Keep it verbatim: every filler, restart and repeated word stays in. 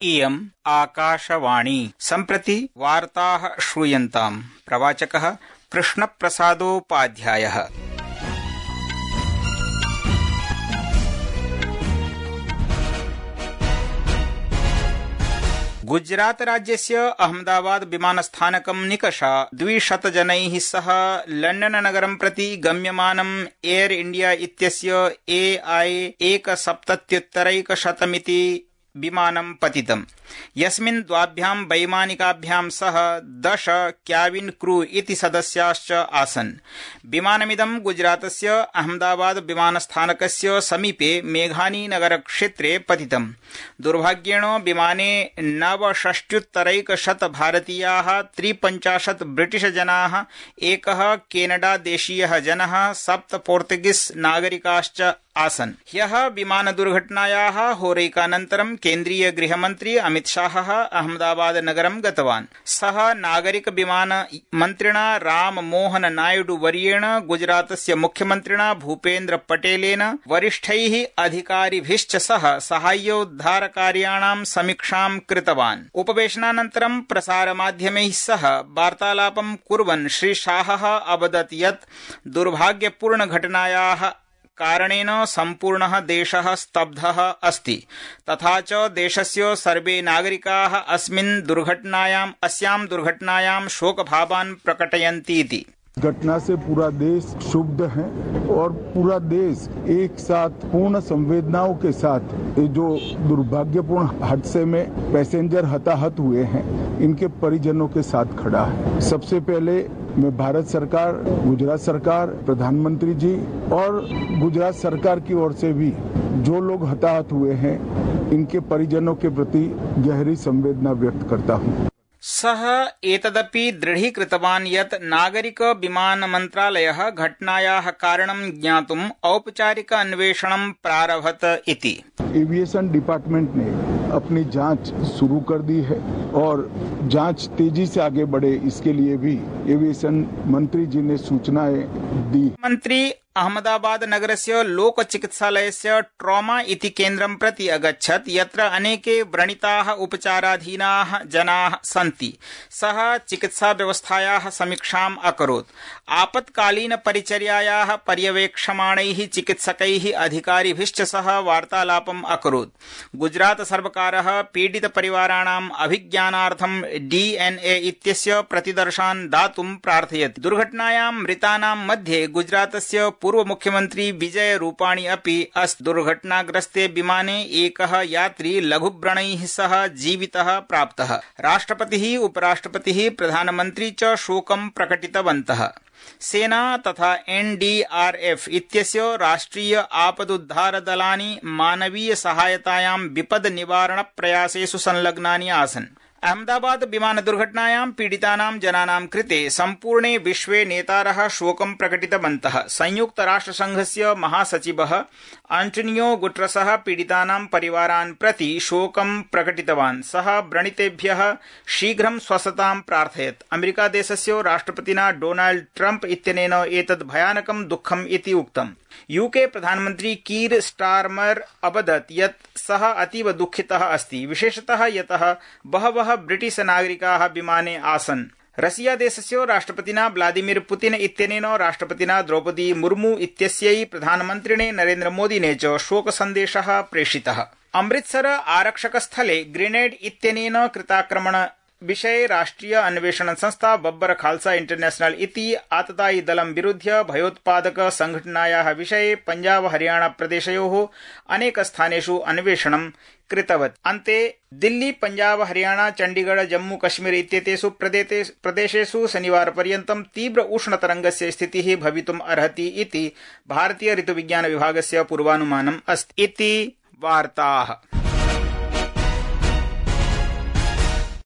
इयम् आकाशवाणी। सम्प्रति वार्ताः श्रूयन्ताम्। प्रवाचकः कृष्णप्रसादोपाध्यायः। गुजरात राज्यस्य अहमदाबाद विमानस्थानकं निकषा द्विशतजनैः सह लण्डन नगरं प्रति गम्यमानं एयर इंडिया इत्यस्य ए आई एकसप्तत्युत्तरैकशतमिति विमानं पतितम्, यस्मिन् द्वाभ्यां वैमानिकाभ्यां सह दश क्याबिन क्रू इति सदस्याश्च आसन्। विमानमिदं गुजरातस्य अहमदाबाद विमानस्थानकस्य समीपे मेघानी नगर क्षेत्रे पतितम्। दुर्भाग्येण विमाने नवषष्ट्युत्तरैकशत भारतीयाः, त्रिपञ्चाशत् ब्रिटिश जनाः, एकः केनडा देशीयः जनः, सप्त पोर्तुगीस नागरिकाश्च आसन्। ह्यः विमान दुर्घटनायाः होरैकानन्तरं केन्द्रीय गृहमन्त्री अमित शाहः अहमदाबाद नगरं गतवान्। सः नागरिक विमान मन्त्रिणा राम मोहन नायडू वर्येण, गुजरातस्य मुख्यमन्त्रिणा भूपेन्द्र पटेलेन, वरिष्ठैः अधिकारिभिश्च सह साहाय्योद्धारकार्याणां समीक्षां कृतवान्। उपवेशनानन्तरं प्रसारमाध्यमैः सह वार्तालापं कुर्वन् श्री शाहः अवदत् यत् दुर्भाग्यपूर्ण घटनायाः कारणेन सम्पूर्णः देशः स्तब्धः अस्ति, तथा च देशस्य सर्वे नागरिकाः अस्मिन् दुर्घटनायाम् अस्यां दुर्घटनायां शोकभावान् प्रकटयन्ति इति। घटना से पूरा देश क्षुब्ध है और पूरा देश एक साथ पूर्ण संवेदनाओं के साथ जो दुर्भाग्यपूर्ण हादसे में पैसेंजर हताहत हुए हैं, इनके परिजनों के साथ खड़ा है। सबसे पहले मैं भारत सरकार, गुजरात सरकार, प्रधानमंत्री जी और गुजरात सरकार की ओर से भी जो लोग हताहत हुए हैं, इनके परिजनों के प्रति गहरी संवेदना व्यक्त करता हूँ। सः एतदपि दृढीकृतवान् यत् नागरिक विमान मन्त्रालयः घटनायाः कारणं ज्ञातुम् औपचारिक अन्वेषणं प्रारभत इति। एविएशन डिपार्टमेंट ने अपनी जांच शुरू कर दी है और जांच तेजी से आगे बढ़े, इसके लिए भी एविएशन मंत्री जी ने सूचनाएं दी। मंत्री अहमदाबाद नगरस्य लोक चिकित्सालयस्य ट्रॉमा इति केन्द्रं प्रति अगच्छत्, यत्र अनेके व्रणिताः उपचाराधीनाः जनाः सन्ति। सः चिकित्सा व्यवस्थायाः समीक्षाम् अकरोत्। आपत्कालीन परिचर्यायाः पर्यवेक्षमाणैः चिकित्सकैः अधिकारिभिश्च सह वार्तालापम् अकरोत्। गुजरात सर्वकारः पीडित परिवाराणाम् अभिज्ञानार्थं डीएनए इत्यस्य प्रतिदर्शान् दातुं प्रार्थयति। दुर्घटनायां मृतानां मध्ये गुजरातस्य पूर्व मुख्यमंत्री विजय रूपाणी अपि अस्ति। दुर्घटनाग्रस्ते विमाने एकः यात्री लघुव्रणैः सह जीवितः प्राप्तः। राष्ट्रपतिः, उपराष्ट्रपतिः, प्रधानमन्त्री च शोकं प्रकटितवन्तः। सेना तथा एनडीआरएफ इत्यस्य राष्ट्रिय आपदुद्धार दलानि मानवीय सहायतायां विपद निवारण प्रयासेषु संलग्नानि आसन्। अहमदाबाद विमान दुर्घटनायां पीडितानां जनानां कृते सम्पूर्णे विश्वे नेतारः शोकं प्रकटितवन्तः। संयुक्त राष्ट्र संघस्य महासचिवः आंटोनियो गुटेरसः पीडितानां परिवारान् प्रति शोकं प्रकटितवान्। सः व्रणितेभ्यः शीघ्रं स्वस्थतां प्रार्थयत्। अमेरिका देशस्य राष्ट्रपतिना डोनाल्ड ट्रम्प इत्यनेन एतद् भयानकं दुःखम् इति उक्तम्। यूके प्रधानमन्त्री कीर स्टारमर अवदत् यत् सः अतीव दुःखितः अस्ति, विशेषतः यतः बहवः ब्रिटिश नागरिकाः विमाने आसन्। रशिया देशस्य राष्ट्रपतिना व्लादिमीर पुतिन इत्यनेन राष्ट्रपतिना द्रौपदी मुर्मू इत्यस्यै प्रधानमन्त्रिणे नरेन्द्र मोदिने च शोकसन्देशः प्रेषितः। अमृतसर आरक्षकस्थले ग्रेनेड इत्यनेन कृताक्रमण विषये राष्ट्रिय अन्वेषण संस्था बब्बर खालसा इंटरनेशनल इति आततायि दलं विरुध्य भयोत्पादक संघटनायाः विषये पञ्जाब हरियाणा प्रदेशयोः अनेक स्थानेषु अन्वेषणं कृतवत्। अन्ते दिल्ली, पञ्जाब, हरियाणा, चण्डीगढ़, जम्मू कश्मीर इत्येतेषु प्रदेशेषु शनिवारपर्यन्तं तीव्र उष्णतरङ्गस्य स्थितिः भवितुम् अर्हति इति भारतीय ऋतुविज्ञान विभागस्य पूर्वानुमानम् अस्ति इति वार्ताः।